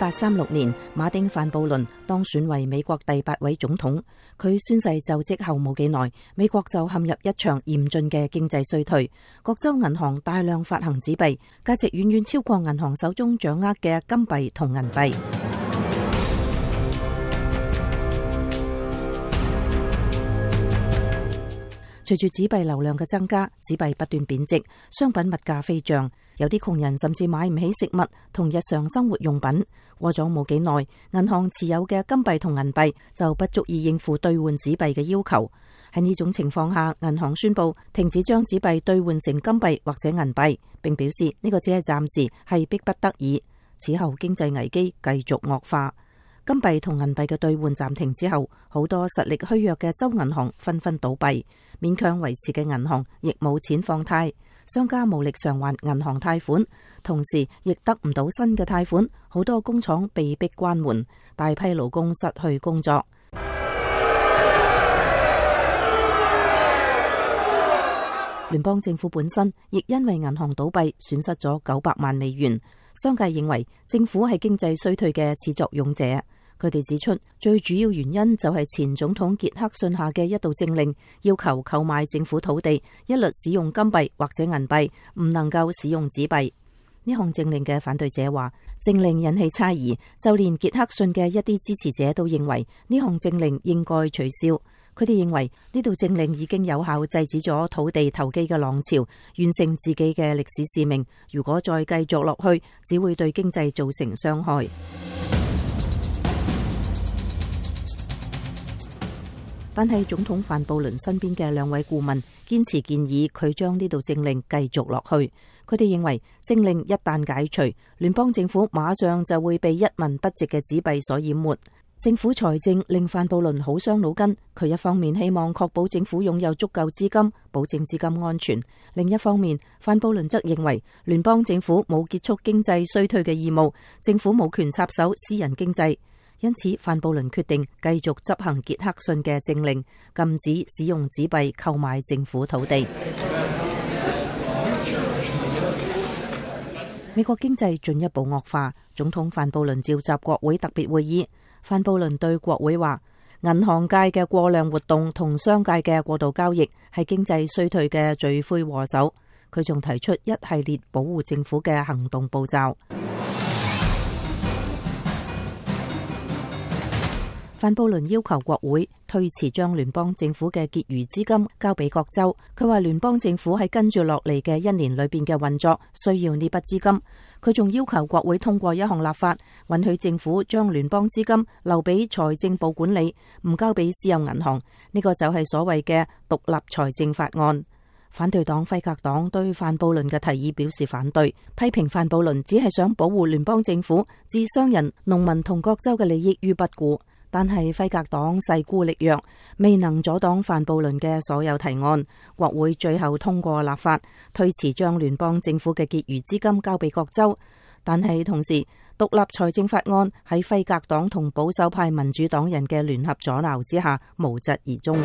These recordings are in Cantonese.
1836年，馬丁范布倫當選為美國第8位總統。佢宣誓就職後冇幾耐，美國就陷入一場嚴峻嘅經濟衰退。各州銀行大量發行紙幣，價值遠遠超過銀行手中掌握嘅金幣同銀幣。隨住紙幣流量嘅增加，紙幣不斷貶值，商品物價飛漲，有啲窮人甚至買唔起食物同日常生活用品。過咗冇幾耐，銀行持有嘅金幣同銀幣就不足以應付兌換紙幣嘅要求。喺呢種情況下，銀行宣布停止將紙幣兌換成金幣或者銀幣，並表示呢個只係暫時，係迫不得已。此後經濟危機繼續惡化。金幣同銀幣嘅兌換暫停之後，好多實力虛弱嘅州銀行紛紛倒閉，勉強維持嘅銀行亦冇錢放貸，商家無力償還銀行貸款，同時亦得唔到新嘅貸款，好多工廠被迫關門，大批勞工失去工作。聯邦政府本身亦因為銀行倒閉損失咗900萬美元。商界認為政府係經濟衰退嘅始作俑者。佢哋指出，最主要原因就係前總統傑克遜下嘅一道政令，要求購買政府土地一律使用金幣或者銀幣，唔能夠使用紙幣。呢項政令嘅反對者話，政令引起猜疑，就連傑克遜嘅一啲支持者都認為呢項政令應該取消。佢哋認為呢道政令已經有效制止咗土地投機嘅浪潮，完成自己嘅歷史使命。如果再繼續落去，只會對經濟造成傷害。但係總統范布倫身邊嘅2位顧問堅持建議佢將呢道政令繼續落去。佢哋認為政令一旦解除，聯邦政府馬上就會被一文不值嘅紙幣所淹沒。政府財政令范布倫好傷腦筋，佢一方面希望確保政府擁有足夠資金，保證資金安全；另一方面，范布倫則認為聯邦政府冇結束經濟衰退嘅義務，政府冇權插手私人經濟。因此，范布倫決定繼續執行傑克遜嘅政令，禁止使用紙幣購買政府土地。美國經濟進一步惡化，總統范布倫召集國會特別會議。范布倫對國會話，銀行界嘅過量活動同商界嘅過度交易係經濟衰退嘅罪魁禍首。佢仲提出一系列保護政府嘅行動步驟。范布倫要求國會推遲將聯邦政府嘅結餘資金交俾各州。佢話聯邦政府喺跟住落嚟嘅1年裏邊嘅運作需要呢筆資金。佢仲要求國會通過一項立法，允許政府將聯邦資金留俾財政部管理，唔交俾私有銀行。呢個就係所謂嘅獨立財政法案。反對黨輝格黨對范布倫嘅提議表示反對，批評范布倫只係想保護聯邦政府置商人、農民同各州嘅利益於不顧。但係輝格黨勢孤力弱，未能阻擋范布倫嘅所有提案。國會最後通過立法，推遲將聯邦政府嘅結餘資金交俾各州。但係同時，獨立財政法案喺輝格黨同保守派民主黨人嘅聯合阻撓之下無疾而終。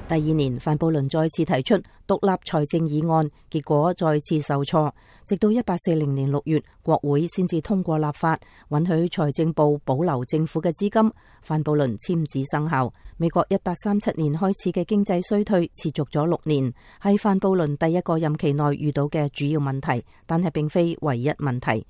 第2年，范布倫再次提出獨立財政議案，結果再次受挫。直到1840年6月，國會先至通過立法，允許財政部保留政府嘅資金。范布倫簽字生效。美國1837年開始嘅經濟衰退持續咗6年，係范布倫第一個任期內遇到嘅主要問題，但係並非唯一問題。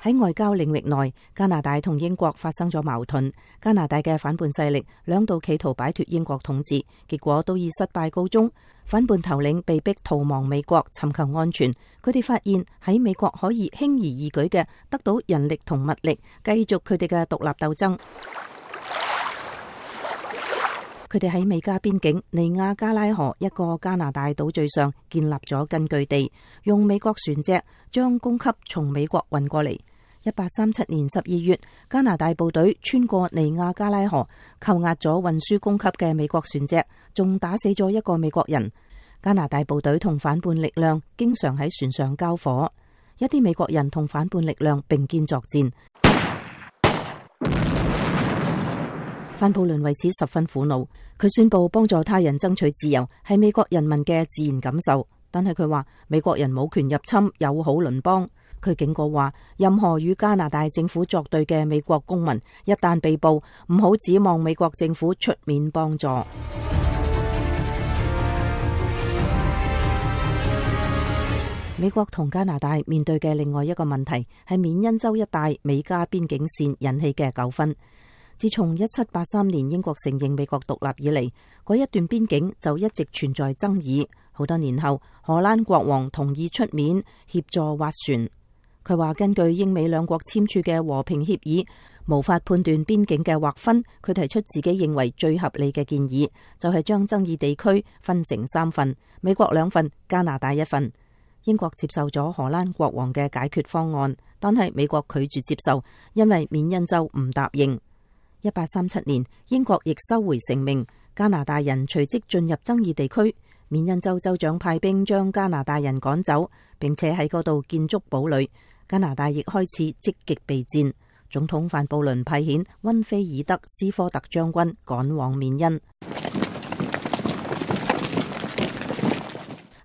喺外交領域內，加拿大同英國發生咗矛盾。加拿大嘅反叛勢力兩度企圖擺脫英國統治，結果都以失敗告終。反叛頭領被逼逃亡美國，尋求安全。佢哋發現喺美國可以輕而易舉嘅得到人力同物力，繼續佢哋嘅獨立鬥爭。佢哋喺美加邊境尼亞加拉河一個加拿大島嶼上建立咗根據地，用美國船隻將供給從美國運過嚟。1837年12月，加拿大部隊穿過尼亞加拉河，扣押咗運輸供給嘅美國船隻，仲打死咗一個美國人。加拿大部隊同反叛力量經常喺船上交火，一啲美國人同反叛力量並肩作戰。范布倫為此十分苦惱，佢宣布幫助他人爭取自由係美國人民嘅自然感受，但係佢話美國人冇權入侵友好鄰邦。佢警告話，任何與加拿大政府作對嘅美國公民一旦被捕，唔好指望美國政府出面幫助。美國同加拿大面對嘅另外一個問題係緬因州一帶美加邊境線引起嘅糾紛。自從1783年英國承認美國獨立以嚟，嗰一段邊境就一直存在爭議。好多年後，荷蘭國王同意出面協助斡旋。佢話根據英美兩國簽署嘅和平協議，無法判斷邊境嘅劃分。佢提出自己認為最合理嘅建議，就係將爭議地區分成3份，美國2份，加拿大1份。英國接受咗荷蘭國王嘅解決方案，但係美國拒絕接受，因為緬因州唔答應。1837年，英國亦收回成命，加拿大人隨即進入爭議地區。緬因州州長派兵將加拿大人趕走，並且喺嗰度建築堡壘。加拿大亦開始積極備戰。總統范布倫派遣溫菲爾德斯科特將軍趕往緬因。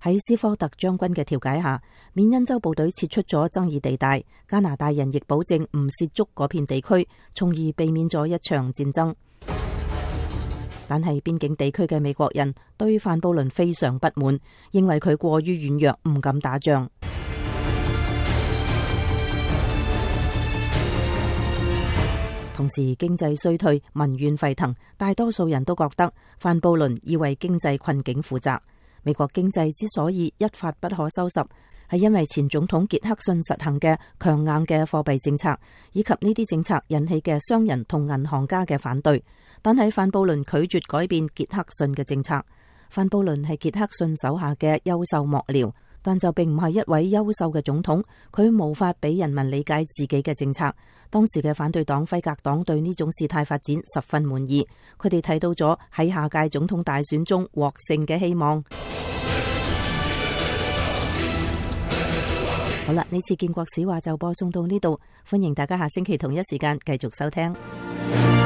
喺斯科特將軍嘅調解下，緬因州部隊撤出咗爭議地帶，加拿大人亦保證唔涉足嗰片地區，從而避免咗一場戰爭。但係邊境地區嘅美國人對范布倫非常不滿，認為佢過於軟弱，唔敢打仗。同時經濟衰退，民怨沸騰，大多數人都覺得范布倫要為經濟困境負責。美國經濟之所以一發不可收拾，係因為前總統傑克遜實行嘅強硬嘅貨幣政策，以及呢啲政策引起嘅商人同銀行家嘅反對。但係范布倫拒絕改變傑克遜嘅政策。范布倫係傑克遜手下嘅優秀幕僚，但就並唔係一位優秀嘅總統。佢無法俾人民理解自己嘅政策。當時嘅反對黨輝格黨對呢種事態發展十分滿意，佢哋睇到咗喺下屆總統大選中獲勝嘅希望。好啦，呢次建國史話就播送到呢度，歡迎大家下星期同一時間繼續收聽。